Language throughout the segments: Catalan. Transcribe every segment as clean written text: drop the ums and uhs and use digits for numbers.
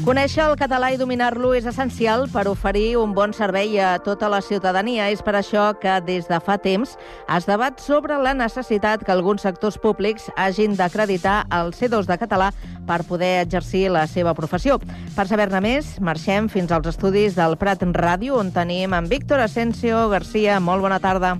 Conèixer el català i dominar-lo és essencial per oferir un bon servei a tota la ciutadania. És per això que des de fa temps es debat sobre la necessitat que alguns sectors públics hagin d'acreditar el C2 de català per poder exercir la seva professió. Per saber-ne més, marxem fins als estudis del Prat Ràdio, on tenim en Víctor Asensio García. Molt bona tarda.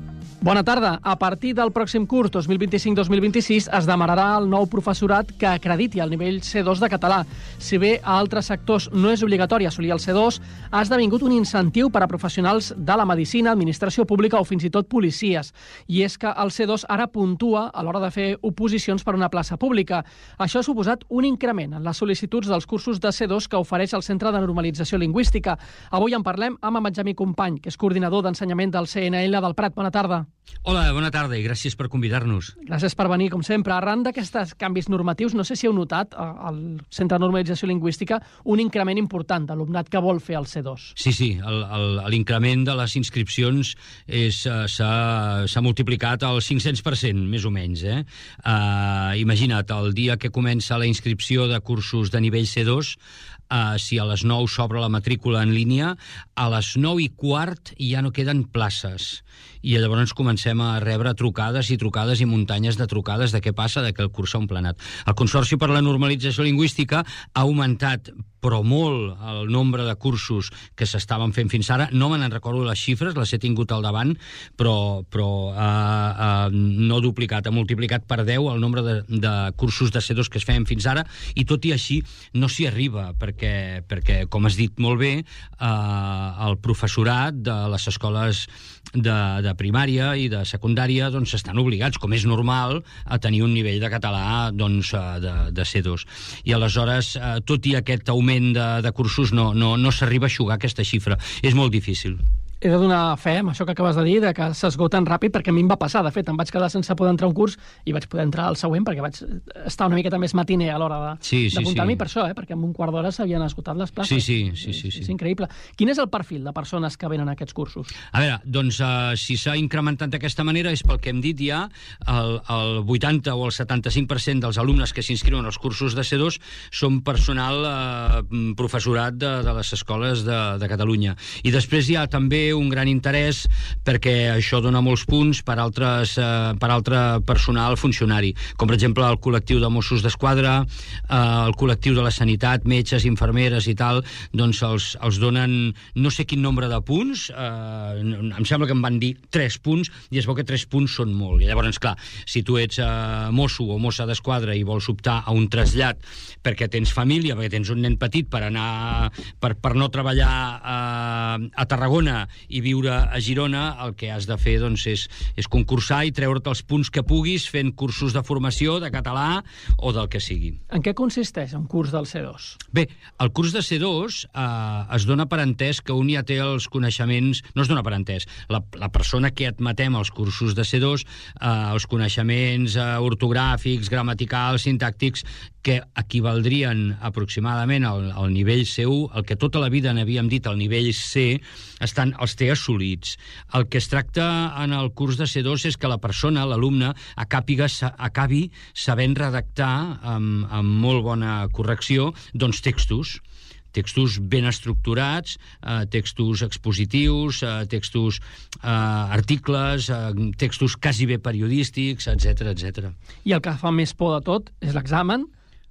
Bona tarda. A partir del pròxim curs 2025-2026 es demanarà al nou professorat que acrediti el nivell C2 de català. Si bé a altres sectors no és obligatori assolir el C2, ha esdevingut un incentiu per a professionals de la medicina, administració pública o fins i tot policies. I és que el C2 ara puntua a l'hora de fer oposicions per una plaça pública. Això ha suposat un increment en les sol·licituds dels cursos de C2 que ofereix el Centre de Normalització Lingüística. Avui en parlem amb en Benjamí Company, que és coordinador d'ensenyament del CNL del Prat. Bona tarda. Hola, bona tarda i gràcies per convidar-nos. Gràcies per venir, com sempre. Arran d'aquests canvis normatius, no sé si heu notat al Centre de Normalització Lingüística un increment important d'alumnat que vol fer el C2. Sí, l'increment de les inscripcions s'ha multiplicat al 500%, més o menys. Imagina't, el dia que comença la inscripció de cursos de nivell C2, si a les 9 s'obre la matrícula en línia, a les 9:15 ja no queden places. I llavors comencem a rebre trucades i muntanyes de trucades de què passa, de que el curs s'ha emplenat. El Consorci per la Normalització Lingüística ha augmentat però molt el nombre de cursos que s'estaven fent fins ara. No me n'en recordo les xifres, les he tingut al davant, però no duplicat, ha multiplicat per 10 el nombre de cursos de C2 que es feien fins ara, i tot i així no s'hi arriba, perquè com has dit molt bé, el professorat de les escoles de primària i de secundària estan obligats, com és normal, a tenir un nivell de català de C2. I aleshores, tot i aquest augment de cursos, no s'arriba a eixugar aquesta xifra. És molt difícil. He de donar fe amb això que acabes de dir, de que s'esgoten ràpid, perquè a mi em va passar. De fet, em vaig quedar sense poder entrar a un curs i vaig poder entrar al següent, perquè vaig estar una miqueta més matiner a l'hora d'apuntar-m'hi per això, perquè en un quart d'hora s'havien esgotat les places. Sí. És increïble. Quin és el perfil de persones que venen a aquests cursos? A veure, si s'ha incrementat d'aquesta manera és pel que hem dit ja, el 80 o el 75% dels alumnes que s'inscriuen als cursos de C2 són personal professorat de les escoles de Catalunya. I després hi ha també un gran interès perquè això dona molts punts per altre personal funcionari, com per exemple el col·lectiu de Mossos d'Esquadra, el col·lectiu de la sanitat, metges, infermeres i tal, doncs els donen no sé quin nombre de punts, em sembla que em van dir 3 punts, i es veu que 3 punts són molt. I llavors, clar, si tu ets mosso o mossa d'esquadra i vols optar a un trasllat perquè tens família, perquè tens un nen petit per anar per no treballar a Tarragona i viure a Girona, el que has de fer és concursar i treure't els punts que puguis fent cursos de formació de català o del que sigui. En què consisteix un curs del C2? Bé, el curs de C2 es dona per entès que un ja té els coneixements... No es dona per entès. La persona que admetem als cursos de C2, els coneixements ortogràfics, gramaticals, sintàctics, que equivaldrien aproximadament al nivell C1, el que tota la vida n'havíem dit el nivell C, els té assolits. El que es tracta en el curs de C2 és que la persona, l'alumne, acabi sabent redactar amb molt bona correcció textos ben estructurats, textos expositius, textos articles, textos quasi bé periodístics, etc. I el que fa més por de tot és l'examen.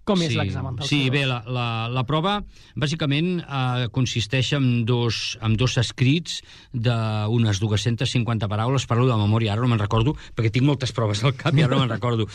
Com és l'examen del C2? Sí, bé, la prova bàsicament consisteix en dos escrits d'unes 250 paraules. Parlo de memòria, ara no me'n recordo, perquè tinc moltes proves al cap i ara no me'n recordo.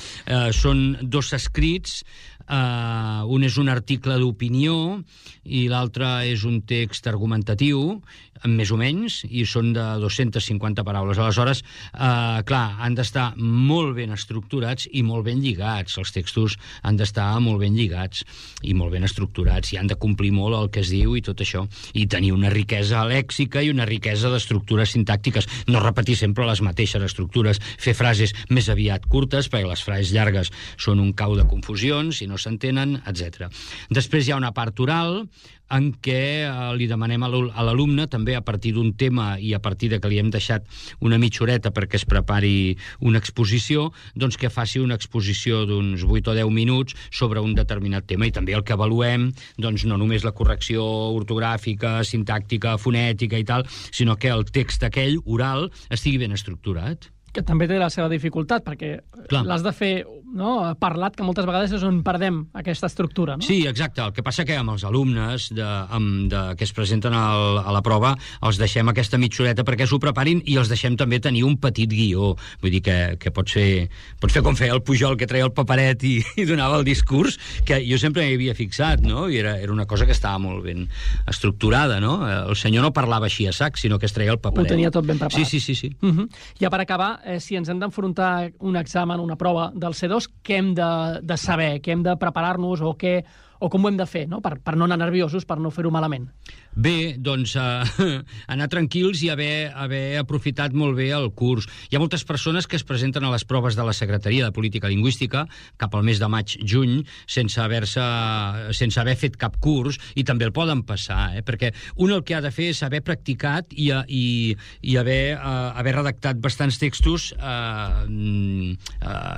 Són 2 escrits, un és un article d'opinió i l'altre és un text argumentatiu, més o menys, i són de 250 paraules. Aleshores, clar, han d'estar molt ben estructurats i molt ben lligats. Els textos han d'estar molt ben lligats i molt ben estructurats, i han de complir molt el que es diu i tot això, i tenir una riquesa lèxica i una riquesa d'estructures sintàctiques. No repetir sempre les mateixes estructures, fer frases més aviat curtes, perquè les frases llargues són un cau de confusions i no no s'entenen, etc. Després hi ha una part oral en què li demanem a l'alumne, també a partir d'un tema i a partir de que li hem deixat una mitja horeta perquè es prepari una exposició, doncs que faci una exposició d'uns 8 o 10 minuts sobre un determinat tema, i també el que avaluem, doncs no només la correcció ortogràfica, sintàctica, fonètica i tal, sinó que el text aquell, oral, estigui ben estructurat. Que també té la seva dificultat, perquè l'has de fer, no?, parlat, que moltes vegades és on perdem aquesta estructura, no? Sí, exacte. El que passa que amb els alumnes que es presenten a la prova els deixem aquesta mitja horeta perquè s'ho preparin i els deixem també tenir un petit guió. Vull dir que pots fer com feia el Pujol, que treia el paperet i donava el discurs, que jo sempre m'hi havia fixat, no? I era una cosa que estava molt ben estructurada, no? El senyor no parlava així a sac, sinó que es treia el paperet. Ho tenia tot ben preparat. Sí. Ja per acabar, si ens hem d'enfrontar un examen, una prova del C2, què hem de saber, què hem de preparar-nos o com ho hem de fer, no? Per no anar nerviosos, per no fer-ho malament. Bé, doncs anar tranquils i haver aprofitat molt bé el curs. Hi ha moltes persones que es presenten a les proves de la Secretaria de Política Lingüística cap al mes de maig-juny sense haver fet cap curs, i també el poden passar, perquè un el que ha de fer és haver practicat i haver redactat bastants textos,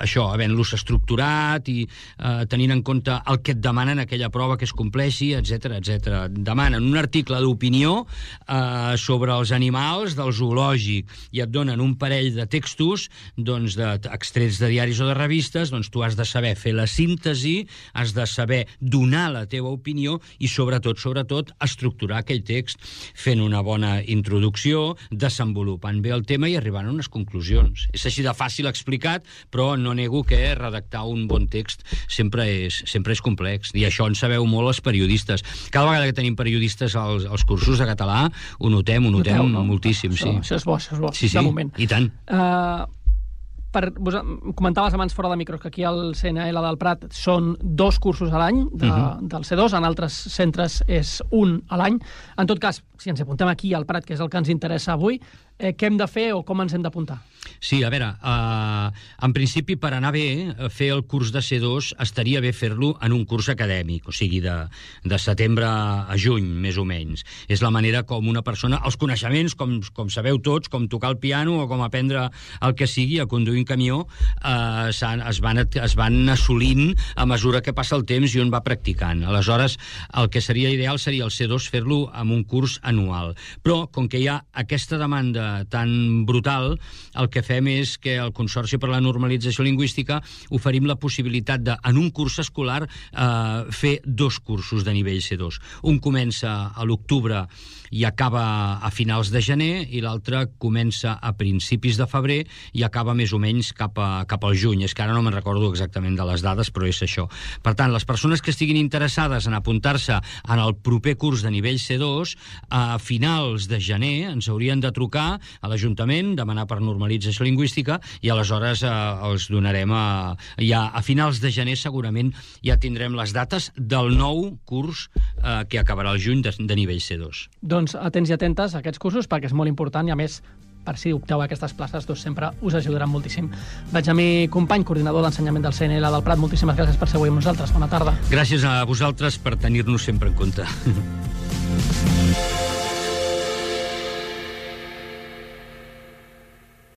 això, havent-los estructurat i tenint en compte el que et demanen aquella prova que es compleixi, etc. Demanen un article d'opinió sobre els animals del zoològic i et donen un parell de textos, doncs, extrets de diaris o de revistes. Doncs tu has de saber fer la síntesi, has de saber donar la teva opinió i sobretot estructurar aquell text fent una bona introducció, desenvolupant bé el tema i arribant a unes conclusions. És així de fàcil explicat, però no nego que redactar un bon text sempre és complex, i això en sabeu molt els periodistes. Cada vegada que tenim periodistes als cursos de català ho notem moltíssim. Això és bo, sí, de moment. I tant. Comentaves abans fora de micros que aquí al CNL del Prat són 2 cursos a l'any del C2, en altres centres és 1 a l'any. En tot cas, si ens apuntem aquí al Prat, que és el que ens interessa avui, què hem de fer o com ens hem d'apuntar? Sí, a veure, en principi, per anar bé, fer el curs de C2 estaria bé fer-lo en un curs acadèmic, o sigui, de setembre a juny, més o menys. És la manera com una persona... Els coneixements, com sabeu tots, com tocar el piano o com aprendre el que sigui, a conduir un camió, es van assolint a mesura que passa el temps i un va practicant. Aleshores, el que seria ideal seria el C2 fer-lo amb un curs anual. Però, com que hi ha aquesta demanda tan brutal, el que fem és que el Consorci per la Normalització Lingüística oferim la possibilitat de, en un curs escolar, fer 2 cursos de nivell C2. Un comença a l'octubre i acaba a finals de gener, i l'altre comença a principis de febrer i acaba més o menys cap al juny. És que ara no me'n recordo exactament de les dades, però és això. Per tant, les persones que estiguin interessades en apuntar-se en el proper curs de nivell C2, a finals de gener ens haurien de trucar a l'Ajuntament, demanar per normalització lingüística, i aleshores els donarem ja a finals de gener segurament ja tindrem les dates del nou curs que acabarà el juny de nivell C2. Doncs atents i atentes a aquests cursos, perquè és molt important, i a més, per si opteu a aquestes places, doncs sempre us ajudaran moltíssim. Benjamí Company, coordinador d'ensenyament del CNL del Prat, moltíssimes gràcies per ser avui amb nosaltres. Bona tarda. Gràcies a vosaltres per tenir-nos sempre en compte.